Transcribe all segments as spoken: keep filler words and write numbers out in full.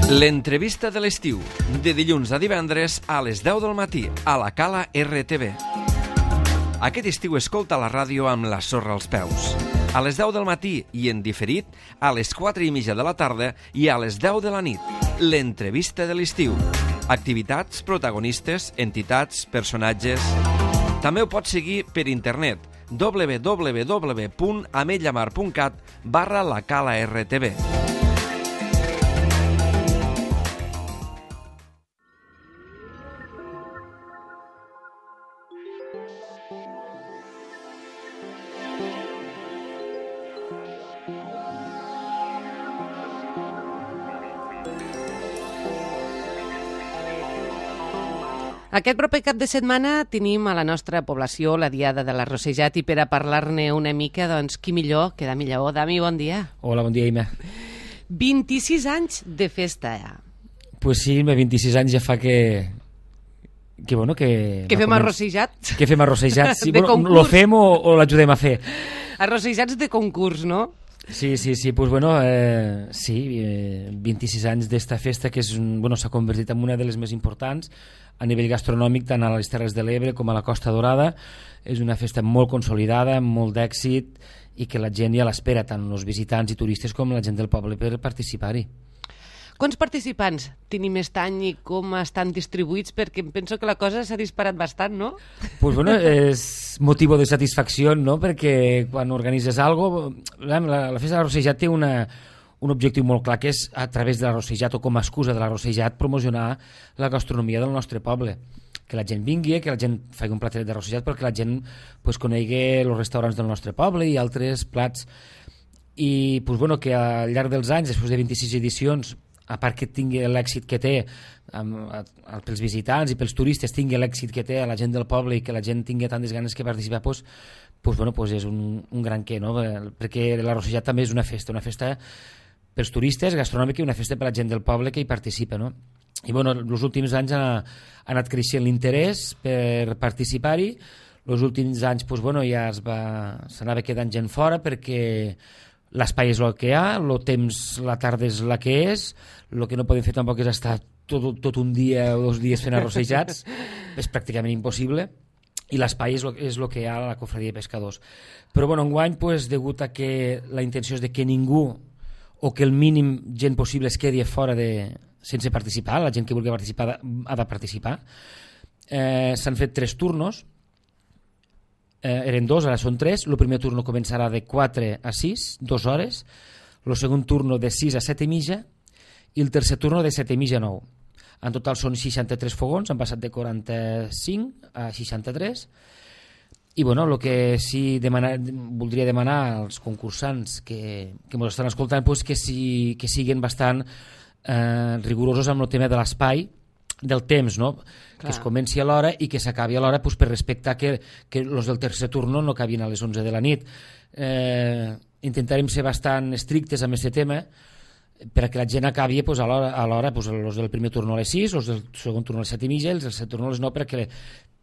L'entrevista de l'estiu, de dilluns a divendres a les deu del matí, a la Cala R T V. Aquest estiu escolta la ràdio amb la sorra als peus. A les deu del matí i en diferit, a les quatre i mitja de la tarda i a les deu de la nit. L'entrevista de l'estiu. Activitats, protagonistes, entitats, personatges... També ho pots seguir per internet, w w w punt ametlla mar punt cat barra la Cala R T V. Aquest proper cap de setmana tenim a la nostra població la Diada de l'Arrossejat i per a parlar-ne una mica, doncs, qui millor que Dami Lleó. Dami, bon dia. Hola, bon dia, Ima. vint-i-sis anys de festa, ja. Pues sí, vint-i-sis anys ja fa que... Que, bueno, que... Que no fem començ... arrossejat. Que fem arrossejat. Sí, De bueno, concurs. lo fem o, o l'ajudem a fer? Arrossejats de concurs, no? Sí, sí, sí, pues bueno, eh, sí, eh, vint-i-sis anys d'esta festa que és un, bueno, s'ha convertit en una de les més importants a nivell gastronòmic tant a les Terres de l'Ebre com a la Costa Dorada. És una festa molt consolidada, amb molt d'èxit i que la gent ja l'espera, tant els visitants i turistes com la gent del poble per participar-hi. Quants participants tenim aquest any i com estan distribuïts? Perquè em penso que la cosa s'ha disparat bastant, no? Pues bueno, és motiu de satisfacció, no? Perquè quan organitzes alguna cosa... La, la festa de l'Arrossejat té una, un objectiu molt clar, que és a través de l'Arrossejat o com a excusa de l'Arrossejat promocionar la gastronomia del nostre poble. Que la gent vingui, que la gent faci un platet d'arrossejat perquè la gent pues, conegui els restaurants del nostre poble i altres plats. I pues, bueno, que al llarg dels anys, després de vint-i-sis edicions, a part que tingui l'èxit que té amb, a, a, pels visitants i pels turistes, tingui l'èxit que té a la gent del poble i que la gent tingui tantes ganes que participar, pues, pues, bueno, pues és un, un gran què, no? Perquè l'Arrossejat també és una festa, una festa pels turistes, gastronòmica, i una festa per la gent del poble que hi participa, no? I bueno, els últims anys ha, ha anat creixent l'interès per participar-hi. Els últims anys pues, bueno, ja es va, s'anava quedant gent fora perquè l'espai és el que hi ha, el temps, la tarda és la que és, el que no podem fer tampoc és estar tot, tot un dia o dos dies fent arrossejats, és pràcticament impossible, i l'espai és, és el que hi ha a la Cofradia de Pescadors. Però bueno, enguany, pues, degut a que la intenció és de que ningú o que el mínim gent possible es quedi fora de, sense participar, la gent que vulgui participar ha de participar, eh, s'han fet tres turnos. Eh, eren dos, ara són tres. El primer turno començarà de quatre a sis, dues hores. El segon turno de sis a set i mitja i el tercer turno de set i mitja a nou. En total són seixanta-tres fogons, han passat de quaranta-cinc a seixanta-tres. I bueno, el que sí demana, voldria demanar als concursants que, que ens estan escoltant pues, que, si, que siguin bastant eh, rigorosos amb el tema de l'espai, del temps, no? Clar. Que es comenci a l'hora i que s'acabi a l'hora pues, per respectar que, que els del tercer turno no acabin a les onze de la nit. Eh, intentarem ser bastant estrictes amb aquest tema perquè la gent acabi pues, a l'hora, a l'hora pues, els del primer turno a les sis, els del segon turno a les set i mitja i els del tercer turno a les nou perquè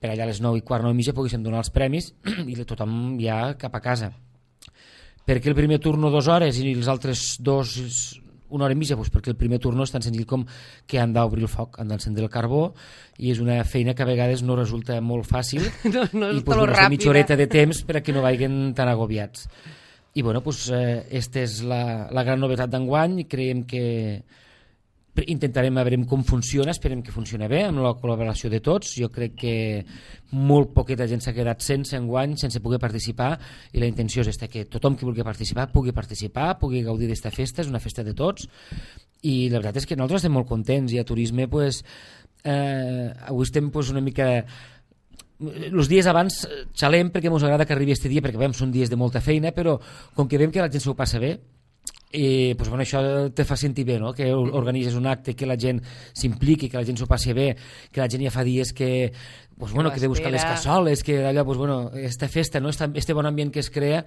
per allà a les nou i quart, nou i mitja poguéssim donar els premis i tothom ja cap a casa. Perquè el primer turno dues hores i els altres dos una hora i mitja, doncs perquè el primer turno és tan senzill com que han d'obrir el foc, han d'encendre el carbó i és una feina que a vegades no resulta molt fàcil no, no i pues, una mitja horeta de temps per a que no vagin tan agobiats. I bueno, pues, eh, esta és la, la gran novetat d'enguany. Creiem que intentarem veure com funciona, esperem que funcioni bé amb la col·laboració de tots. Jo crec que molt poqueta gent s'ha quedat sense enguany, sense poder participar, i la intenció és esta, que tothom que vulgui participar pugui participar, pugui gaudir d'esta festa. És una festa de tots i la veritat és que nosaltres estem molt contents i a turisme pues, eh, avui estem pues, una mica els dies abans xalem perquè ens agrada que arribi este dia perquè veiem són dies de molta feina, però com que veiem que la gent s'ho passa bé i pues, bueno, això te fa sentir bé, no? Que organitzes un acte, que la gent s'impliqui, que la gent s'ho passi bé, que la gent ja fa dies que, pues, bueno, que de buscar les cassoles, que allò, pues, bueno, esta festa, no? Este bon ambient que es crea,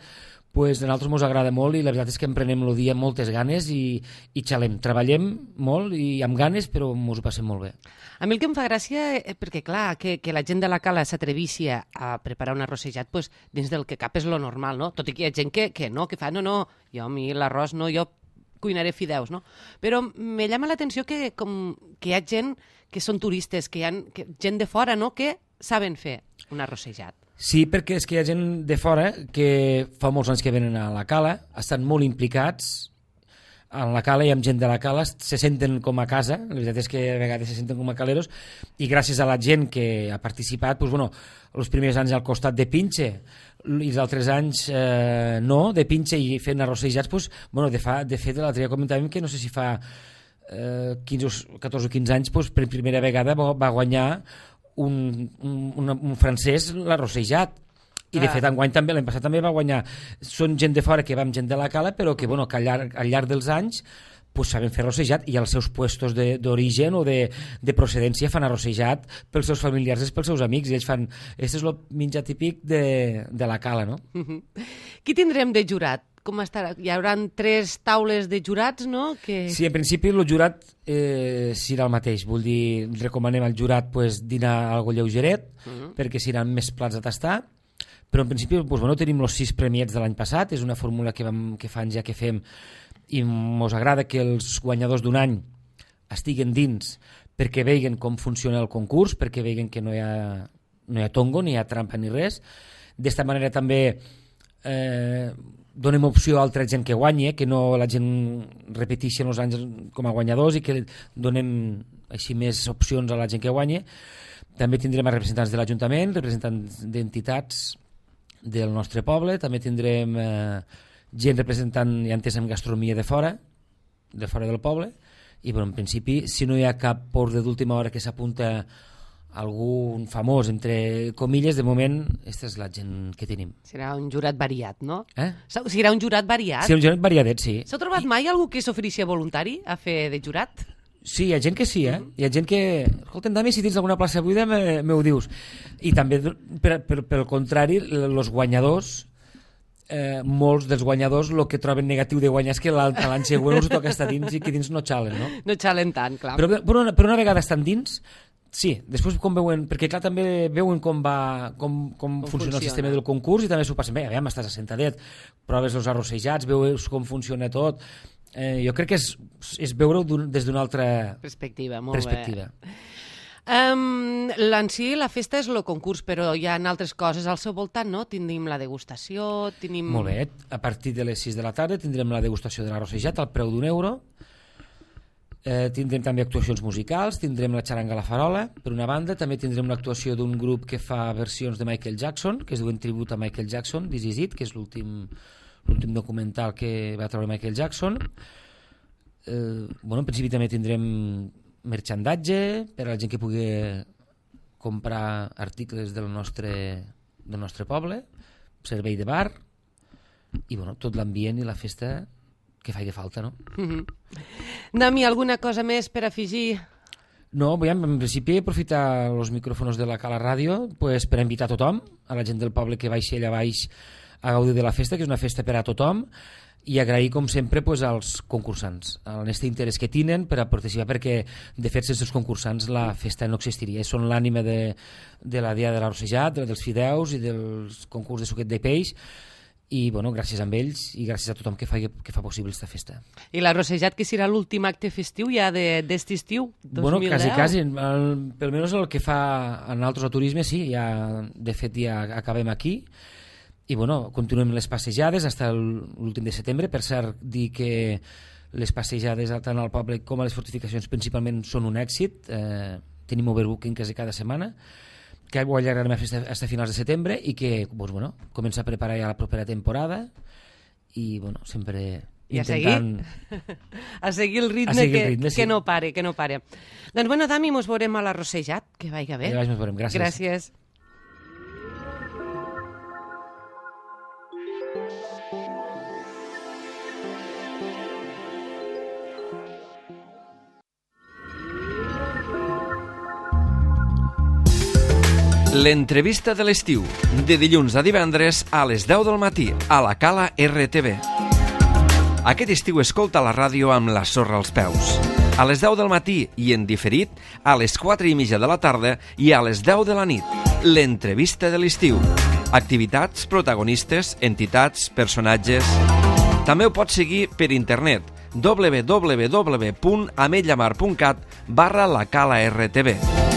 pues, a nosaltres ens agrada molt i la veritat és que em prenem el dia amb moltes ganes i, i xalem, treballem molt i amb ganes, però ens ho passem molt bé. A mi el que em fa gràcia, eh, perquè clar, que, que la gent de la Cala s'atrevissi a preparar un arrossejat, pues, dins del que cap és lo normal, no? Tot i que hi ha gent que, que no, que fa, no, no, jo a mi l'arròs no, jo cuinaré fideus, no? Però me llama l'atenció que, com, que hi ha gent que són turistes, que hi ha que, gent de fora, no?, que saben fer un arrossejat. Sí, perquè és que hi ha gent de fora que fa molts anys que venen a la cala, estan molt implicats en la cala i amb gent de la cala, se senten com a casa, la veritat és que a vegades se senten com a caleros, i gràcies a la gent que ha participat, doncs, bueno, els primers anys al costat de Pinxe i els altres anys eh, no, de Pinxe i fent arrossejats, doncs, bueno, de, fa, de fet l'altre dia comentàvem que no sé si fa eh, quinze, catorze o quinze anys, doncs, per primera vegada va guanyar un, un, un francès l'arrossejat. I de fet enguany també, l'any passat també va guanyar. Són gent de fora que va amb gent de la cala, però que, bueno, que al llarg, al llarg dels anys pues, saben fer arrossejat i als seus puestos d'origen o de, de procedència fan arrossejat pels seus familiars i pels seus amics, i ells fan... Aquest és el menjar típic de, de la cala, no? Uh-huh. Qui tindrem de jurat? Com estarà? Hi haurà tres taules de jurats, no? Que... Sí, en principi el jurat eh, serà el mateix. Vull dir, recomanem al jurat pues, dinar algo lleugeret, uh-huh. perquè seran més plats a tastar. Però en principi doncs, bueno, tenim els sis premiats de l'any passat, és una fórmula que, vam, que fa anys ja que fem i ens agrada que els guanyadors d'un any estiguen dins perquè vegin com funciona el concurs, perquè vegin que no hi ha, no hi ha tongo, ni hi ha trampa ni res. D'esta manera també eh, donem opció a altra gent que guanyi, que no la gent repeteixi els anys com a guanyadors i que donem així més opcions a la gent que guanyi. També tindrem representants de l'Ajuntament, representants d'entitats del nostre poble, també tindrem eh, gent representant, ja entès, en gastronomia de fora, de fora del poble, i bueno, en principi, si no hi ha cap ordre d'última hora que s'apunta algun famós, entre comilles, de moment, aquesta és la gent que tenim. Serà un jurat variat, no? Eh? Serà un jurat variat? Sí, un jurat variadet, sí. S'ha trobat I... mai algú que s'ofereixi voluntari a fer de jurat? Sí, hi ha gent que sí, eh? Hi ha gent que... Escolta'm, Dami, si tens alguna plaça buida, me, me ho dius. I també, per, per, per el contrari, els guanyadors, eh, molts dels guanyadors, el que troben negatiu de guanyar és que l'any següent els toca estar dins i que dins no xalen, no? No xalen tant, clar. Però, però, una, però una vegada estan dins, sí, després com veuen... Perquè, clar, també veuen com va com, com, com funciona, funciona el sistema del concurs i també s'ho passen bé. Aviam, estàs assentadet, proves els arrossejats, veus com funciona tot... Eh, jo crec que és, és veure-ho des d'una altra perspectiva. Molt perspectiva. Bé. Um, en si la festa és el concurs, però hi ha altres coses al seu voltant, no? Tindrim la degustació, tenim... Molt bé, a partir de les sis de la tarda tindrem la degustació de l'arrossejat al preu d'un euro. Eh, tindrem també actuacions musicals, tindrem la xaranga a la farola, per una banda, també tindrem l'actuació d'un grup que fa versions de Michael Jackson, que es diuen tribut a Michael Jackson, This Is It, que és l'últim... l'últim documental que va treure Michael Jackson. Eh, bueno, en principi també tindrem merchandatge per a la gent que pugui comprar articles del nostre, del nostre poble, servei de bar i bueno, tot l'ambient i la festa que faci falta, no? Mm-hmm. Dami, alguna cosa més per afegir? No, veiem, en principi aprofitar els micròfons de la Cala Ràdio pues, per invitar a tothom, a la gent del poble que baixi allà baix a gaudir de la festa, que és una festa per a tothom, i agrair, com sempre, pues, als concursants, l'honest interès que tenen per a participar, perquè, de fet, sense els concursants la festa no existiria. Són l'ànima de, de la dia de l'arrossejat, dels fideus i dels concurs de suquet de peix, i, bueno, gràcies a ells i gràcies a tothom que fa, que fa possible aquesta festa. I l'arrossejat, que serà l'últim acte festiu ja d'aquest estiu, dos mil deu? Bueno, quasi, quasi. El, pel menys el que fa en altres turisme, sí, ja, de fet, ja acabem aquí. I bueno, continuem les passejades fins l'últim de setembre. Per cert, dir que les passejades tant al poble com a les fortificacions principalment són un èxit. Eh, tenim overbooking quasi cada setmana, que ho allargarem fins a finals de setembre i que doncs, bueno, comença a preparar ja la propera temporada i bueno, sempre I intentant... A seguir, a seguir el ritme, seguir que, el ritme que sí. no pare, que no pare. Doncs bueno, Dami, mos veurem a l'arrossejat, que vaiga bé. Ja ens veurem, gràcies. Gràcies. L'entrevista de l'estiu, de dilluns a divendres a les deu del matí, a la Cala R T V. Aquest estiu escolta la ràdio amb la sorra als peus. A les deu del matí i en diferit, a les quatre i mitja de la tarda i a les deu de la nit. L'entrevista de l'estiu. Activitats, protagonistes, entitats, personatges... També ho pots seguir per internet, w w w punt ametlllamar punt cat barra la cala R T V.